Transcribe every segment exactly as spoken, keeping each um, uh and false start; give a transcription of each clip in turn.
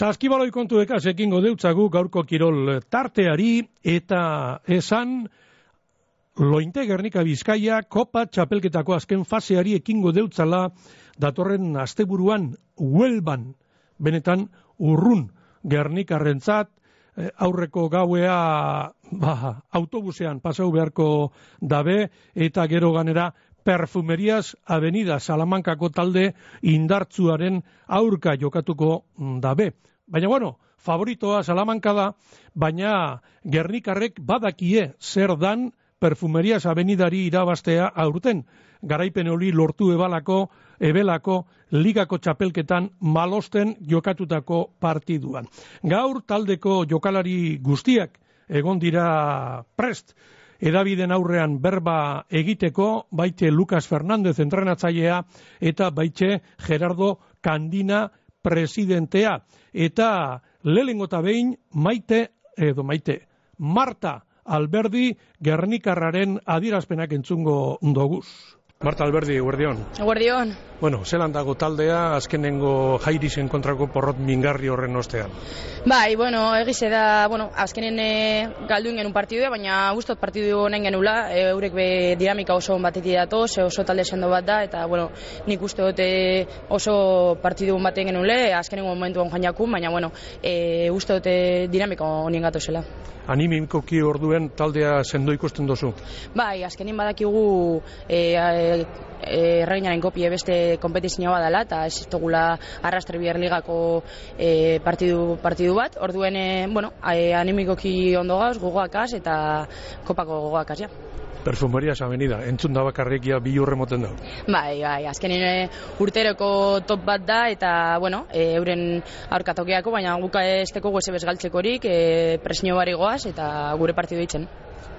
Saskibaloi kontuekaz ekingo deutzagu gaurko kirol tarteari eta esan Lointe Gernika Bizkaia Kopa txapelketako azken faseari ekingo deutzala datorren asteburuan Huelban, benetan urrun Gernikarrentzat, aurreko gauea ba, autobusean pasau beharko dabe eta gero ganera Perfumerias Avenida Salamankako talde indartzuaren aurka jokatuko dabe. Baina bueno, favoritoa Salamanka da, baina Gernikarrek badakie zer dan Perfumerias Avenidari irabaztea aurten. Garaipen hori lortu ebalako, ebelako, ligako txapelketan malosten jokatutako partiduan. Gaur taldeko jokalari guztiak egon dira prest, edabiden aurrean berba egiteko, baite Lucas Fernández entrenatzailea eta baite Gerardo Kandina presidentea. Eta lehenengo eta behin maite, edo maite, Marta Alberdi Gernikarraren adierazpenak entzungo doguz. Marta Alberdi, eguerdion. Eguerdion. Bueno, zelan dago taldea azkenengo Jairisen kontrako porrot mingarri horren ostean? Bai, bueno, egize da, bueno, azkenen e, galdu ingen un partidua, baina gustot partidu honen genula, e, eurek be dinamika oso batetik datoz, oso talde sendo bat da, eta, bueno, nik uste dute oso partidu baten genule, azkenengo momentuan joan jakun, baina, bueno, e, uste dute dinamika honien gatozela. Animikoki orduen taldea sendo ikusten dozu? Bai, azkenin badakigu e, e, erreginaren kopie beste kompetizioa badala eta ez dugula Arrastre Bier Ligako e, partidu, partidu bat, orduen e, bueno, e, animikoki ondo gauz, gogoakaz eta kopako gogoakaz, ja. Perfumerias Avenida, entzun da bakarrekia bi urre moten da. Bai, bai, azkenin e, urteroko top bat da eta, bueno, e, euren aurkatokeako, baina guka esteko guese bezgaltzekorik, e, presio bari goaz eta gure partidu ditzen.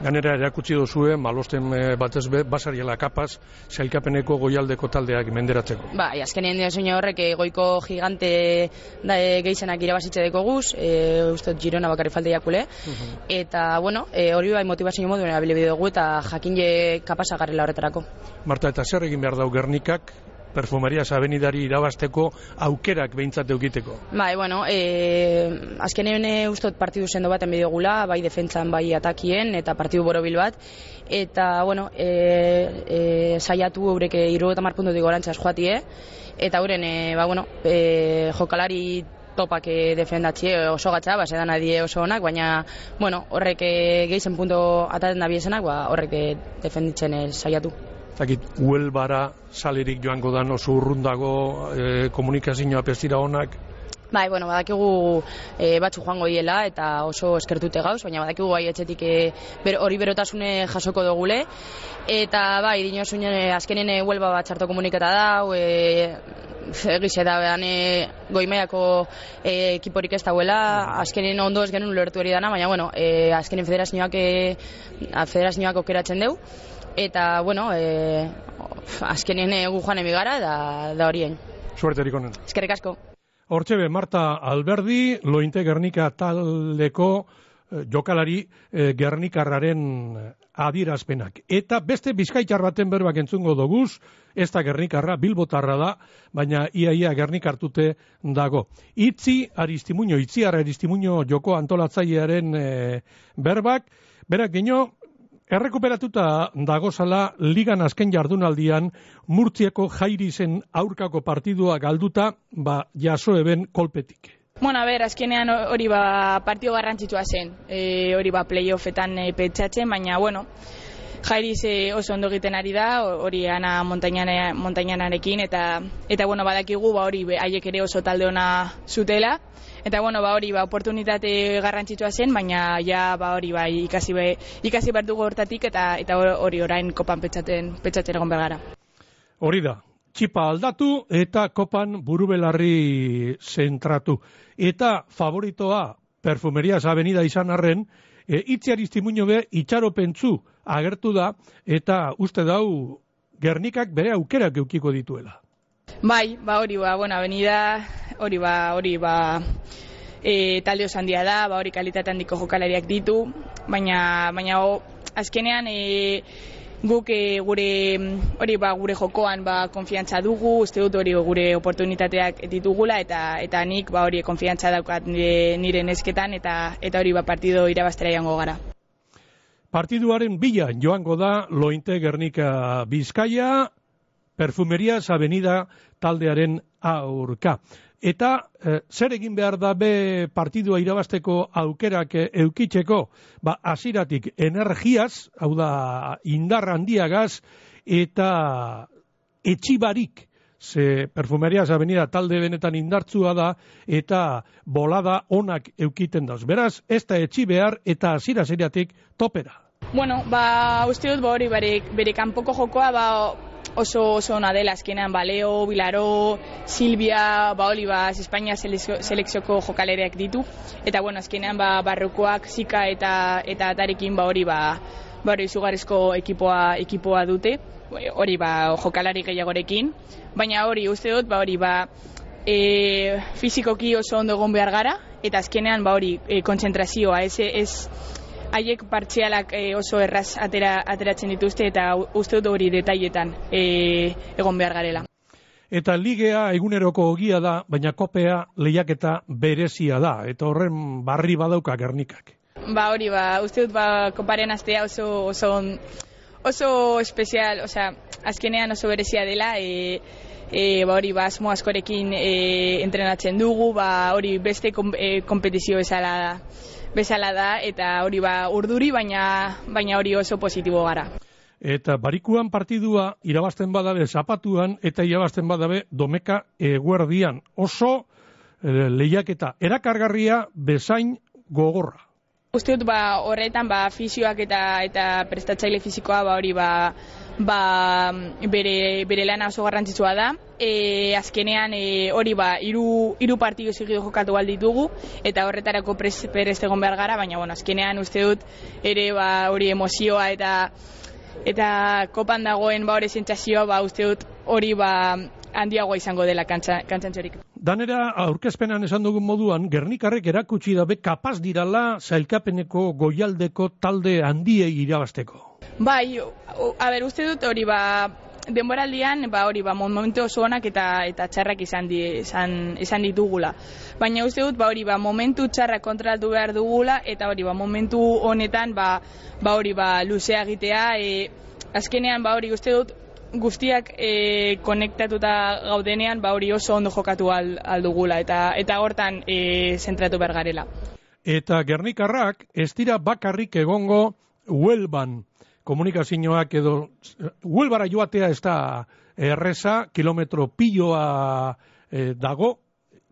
Ganera erakutsi dozue, malosten batez be, basariela kapaz, sailkapeneko goialdeko taldeak menderatzeko. Bai, azkenien dira horrek goiko gigante da, e, gehizenak irabazitze deko guz, e, uste Girona bakarri falte jakule, uh-huh. Eta, bueno, e, hori bai motivazio modu erabili dugu eta jakin je kapasa garrela horretarako. Marta, eta zer egin behar dau Gernikak Perfumerias Avenidari irabazteko aukerak behintzat eukiteko? Bai, bueno, e, azkenean ustot partidu sendo baten bideogula, bai defentsan, bai atakien, eta partidu borobil bat, eta, bueno, e, e, saiatu eureke hirurogeita hamar puntutik gorantzaz joatie, eta euren, e, ba, bueno, e, jokalari topak defendatzie oso gatza, ba, sedan adie oso onak, baina, bueno, horrek gehizen punto ataten da biesenak, ba, horrek defenditzen saiatu. Zakit, Huelbara salerik joango dan oso urrundago, e, komunikazioa pestira honak? Bai, bueno, badakigu e, batzu joango diela eta oso eskertute gauz, baina badakigu bai etxetik e, ber, hori berotasune jasoko dugule. Eta bai, dinosun e, azkenen e, Huelba bat txarto komunikata da, e, egize da, behan e, goimaiako e, ekiporik ez dauela, azkenen ondo ez genuen lertu hori dana, baina, bueno, e, azkenen federazioak, e, federazioak okeratzen deu. Eta, bueno, e, azkenen egu joan emigara da, da horien. Suerterik honen. Eskerrik asko. Hortxebe, Marta Alberdi, Lointe Gernika taldeko eh, jokalari eh, Gernikarraren adierazpenak. Eta beste bizkaitar baten berbak entzungo doguz, ez da Gernikarra, Bilbotarra da, baina iaia Gernikartute dago. Itzi Aristimuño, Itziar Aristimuño joko antolatzailearen eh, berbak, berak gino, errekuperatuta dagozala ligan azken jardunaldian Murtziako Jairisen aurkako partidua galduta, ba, jaso eben kolpetik. Bueno, a ber, azkenean hori ba partido garrantzitsua zen, e, hori ba playoffetan e, pentsatzen, baina, bueno, Jairis e, oso ondo egiten ari da, hori ana montañanarekin, eta, eta bueno, badakigu, ba hori haiek ere oso talde ona zutela, eta bueno, ba hori ba oportunitate garrantzitsua zen, baina ja ba hori ba ikasi be, ikasi behar dugu hortatik eta eta hori orain kopan pentsatzen pentsatzen egon behar gara. Hori da. Txipa aldatu eta kopan burubelarri zentratu. Eta favoritoa Perfumerias Avenida izan arren, e, Itzi Aristimuño be itxaropentzu agertu da eta uste dau Gernikak bere aukerak eukiko dituela. Bai, ba hori ba, bueno, Avenida hori ba, hori ba e, talde oso handia da, ba hori kalitate handiko jokalariak ditu, baina baina o, azkenean e, guk e, gure hori ba gure jokoan ba konfiantza dugu, uste dut hori gure oportunitateak ditugula eta eta nik ba hori konfiantza daukat nire, nire nesketan eta eta hori ba partido irabaztera joango gara. Partiduaren bila joango da Lointe Gernika Bizkaia, Perfumerias Avenida taldearen aurka. Eta eh, zer egin behar da be partidua irabazteko aukerak eh, eukitzeko, ba hasiratik energiaz, hau da indar handiagaz, eta etxibarik, ze Perfumerias Avenida talde benetan indartzua da, eta bolada onak eukiten dauz. Beraz, ez da etxi behar eta hasira zeriatik topera. Bueno, ba uste dut ba hori bere, bere kanpoko jokoa ba oso oso ona dela azkenean ba Leo, Bilaro, Silvia, ba hori ba Espainia selekzioko jokalereak ditu eta bueno, azkenean ba Barrokoak, Zika eta eta Atarekin ba hori ba ba hori izugarrizko ekipoa ekipoa dute. Hori ba jokalari gehiagorekin, baina hori uste dut ba hori ba e, fizikoki oso ondo egon behar gara eta azkenean ba hori e, kontzentrazioa ez ez haiek partzialak e, oso erraz atera, ateratzen dituzte eta uste dut hori detailetan e, egon behar garela. Eta ligea eguneroko ogia da, baina kopea lehiaketa berezia da, eta horren barri badauka Gernikak. Ba hori ba, uste dut ba koparen astea oso oso oso espezial, osea, azkenean oso berezia dela, e, e, ba hori ba asmo askorekin e, entrenatzen dugu, ba hori beste kom, e, kompetizio bezala da. bezala da eta hori ba urduri baina baina hori oso positibo gara. Eta barikuan partidua irabazten badabe zapatuan eta irabazten badabe domeka eguerdian. Oso e, lehiaketa erakargarria bezain gogorra. Uste dut ba horretan ba fisioak eta eta prestatzaile fisikoa ba hori ba ba bere bere lana oso garrantzitsua da. E, azkenean e, hori ba hiru hiru partidu seguido jokatu al ditugu eta horretarako prest egon behar gara, baina bueno, azkenean uste dut ere ba hori emozioa eta eta kopan dagoen ba hori sentsazioa ba uste dut hori ba handiagoa izango dela kantzantzerik. Danera aurkezpenan esan dugun moduan, Gernikarrek erakutsi dabe kapaz dirala sailkapeneko goialdeko talde handiei irabazteko. Bai, a ber, uste dut hori ba denboraldian ba hori ba momentu oso onak eta eta txarrak izan di, izan, izan ditugula. Baina uste dut ba hori ba momentu txarrak kontrolatu behar dugula eta hori ba momentu honetan ba ba hori ba luzea egitea, e, azkenean ba hori uste dut guztiak e, konektatuta gaudenean ba hori oso ondo jokatu al, aldugula eta eta hortan e, zentratu behar garela. Eta Gernikarrak ez dira bakarrik egongo Huelban. Komunikazioak edo Huelbara joatea ez da erreza, kilometro piloa e, dago,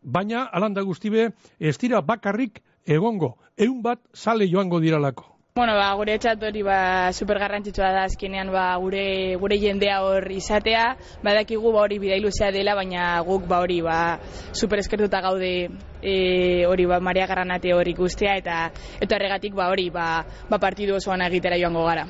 baina alanda guztibe ez dira bakarrik egongo, ehun bat sale joango diralako. Bueno, ba, gure etxat hori ba, super garrantzitsua da azkenean ba, gure, gure jendea hor izatea, badakigu ba, hori bidai luzea dela, baina guk ba, hori ba, super eskertuta gaude e, hori ba, Maria Garranate hori ikustea eta eta horregatik ba, hori ba, ba, partidu osoan egitera joango gara.